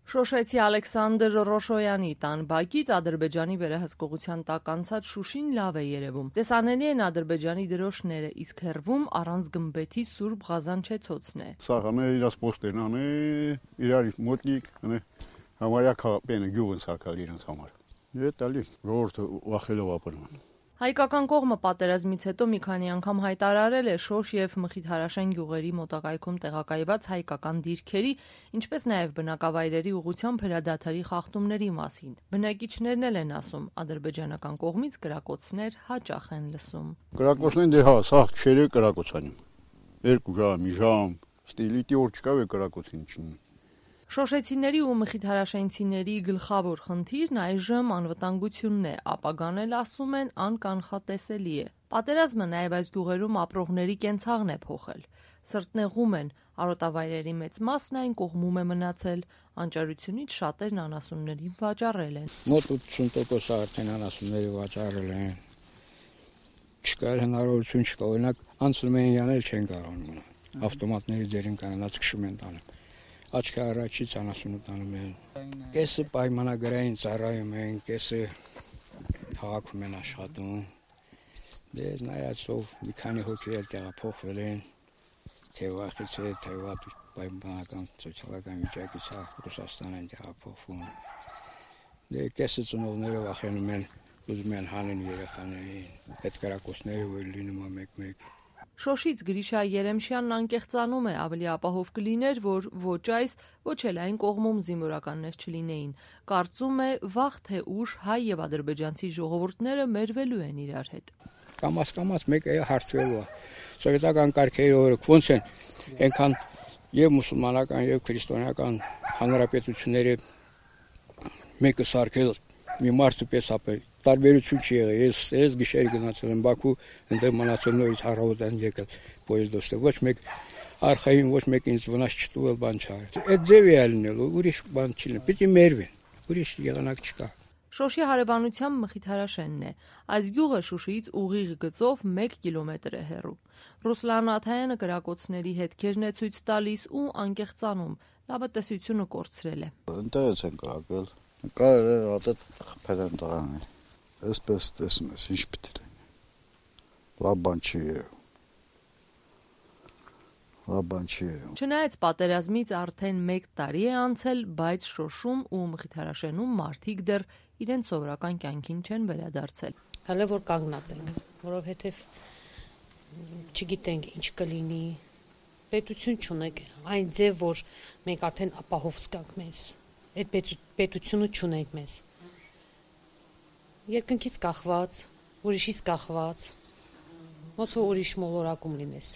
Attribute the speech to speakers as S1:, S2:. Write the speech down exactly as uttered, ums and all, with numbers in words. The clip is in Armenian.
S1: Շոշեցի Ալեքսանդր Ռոշոյանի տան բակից Ադրբեջանի վերահսկողության տակ անցած Շուշին լավ է երևում։ Տեսանելի են Ադրբեջանի դրոշները, իսկ հեռվում առանց գմբեթի Սուրբ Ղազան Չեցոցն է։
S2: Սա հանը իրաց պոստերն անը, իրար մոտնիկ, հանը համարյա քաղաքն գյուղն սարքալ իրենց համար։ Ետ ալի, ժողովուրդը վախելով ապրում են։
S1: Հայկական կողմը պատերազմից հետո մի քանի անգամ հայտարարել է Շոշ եւ Մխիթարաշեն գյուղերի մոտակայքում տեղակայված հայկական դիրքերի, ինչպես նաեւ բնակավայրերի ուղղությամբ հրադադարի խախտումների մասին։ Բնակիչներն էլ են ասում, ադրբեջանական կողմից կրակոցներ հաճախ են լսում։
S2: Կրակոցներն դե հա, սա քշերը կրակոցանին։ Երկու ժամ, մի ժամ, ստիլիտի օր չկա է կրակոցին չին։
S1: Շոշեցիների ու մխիթարաշենցիների գլխավոր խնդիրն այժմ անվտանգությունն է, ապագան էլ ասում են անկանխատեսելի է։ Պատերազմը նաև այս գյուղերում ապրողների կենցաղն է փոխել։ Սրտնեղում են, արոտավայրերի մեծ մասն այն կողմում է մնացել, անճարությունից շատերն անասուններին վաճառել են։
S3: Մոտ ութսուն տոկոս արդեն անասունների վաճառել են։ Չկա հնարավորություն չկա, օրինակ անցնում են յանել չեն կարողանում։ Ավտոմատների ձերին կանանց քշում են տանը։ Աչքի առաջից անասունը տանում են։ Կեսը պայմանագրային ծառայում են, կեսը քաղաքում են աշխատում։ Դե նայածով մի քանի հոգի էլ տեղափոխվել են, թե վախից է, թե վատ պայմանական սոցիալական վիճակից է Ռուսաստան են տեղափոխվում։ Դե կեսը ծնողները վախենում են, ուզում են հանեն երեխաներին, այդ կրակոցները որ լինում է մեկ-մեկ։
S1: Շոշից Գրիշա Երեմշյանն անկեղծանում է, ավելի ապահով կլիներ, որ ոչ այս, ոչ էլ այն կողմում զինվորականներ չլինեին։ Կարծում է, վաղ թե ուշ հայ եւ ադրբեջանցի ժողովուրդները մերվելու են իրար հետ։
S3: Կամաց-կամաց մեկը հարցվելու է։ Սովետական կարգերի օրը ոնց են, այնքան եւ մուսուլմանական եւ քրիստոնեական հանրապետությունները մեկը սարքել մի մարդու պես ապել տարբերություն չի եղել։ Ես ես գիշեր գնացել եմ Բաքու, այնտեղ մնացել նորից հարավոտան եկել պոեզդոստը։ Ոչ մեկ արխային, ոչ մեկ ինձ վնաս չտուվել բան չարել։ Այդ ձևի է լինելու, ուրիշ բան չի լինի։ Պիտի մերվեն։ Ուրիշ եղանակ չկա։
S1: Շոշի հարևանությամբ Մխիթարաշենն է։ Այս գյուղը Շուշիից ուղիղ գծով մեկ կիլոմետր է հեռու։ Ռուսլան Աթայանը կրակոցների հետքերն է ցույց տալիս ու անկեղծանում։ Լավատեսությունը կորցրել է։
S2: Ընտեղից են կրակել։ Կարել է հատետ խփել են տղան է։ Այսպես տեսնում ես, ինչ պիտի լինի։ Լավ բան չի երևում։ Լավ բան չի երևում։
S1: Չնայած պատերազմից արդեն մեկ տարի է անցել, բայց Շոշում ու Մխիթարաշենում մարդիկ դեռ իրենց սովորական կյանքին չեն վերադարձել։
S4: Հələ որ կանգնած ենք, որովհետև չգիտենք ինչ կլինի, պետություն չունենք, այն ձև, որ մենք արդեն ապահով զգանք մեզ, այդ պետությունը չունենք մեզ։ Երկնքից կախված, ուրիշից կախված, ոնց որ ուրիշ մոլորակում լինես։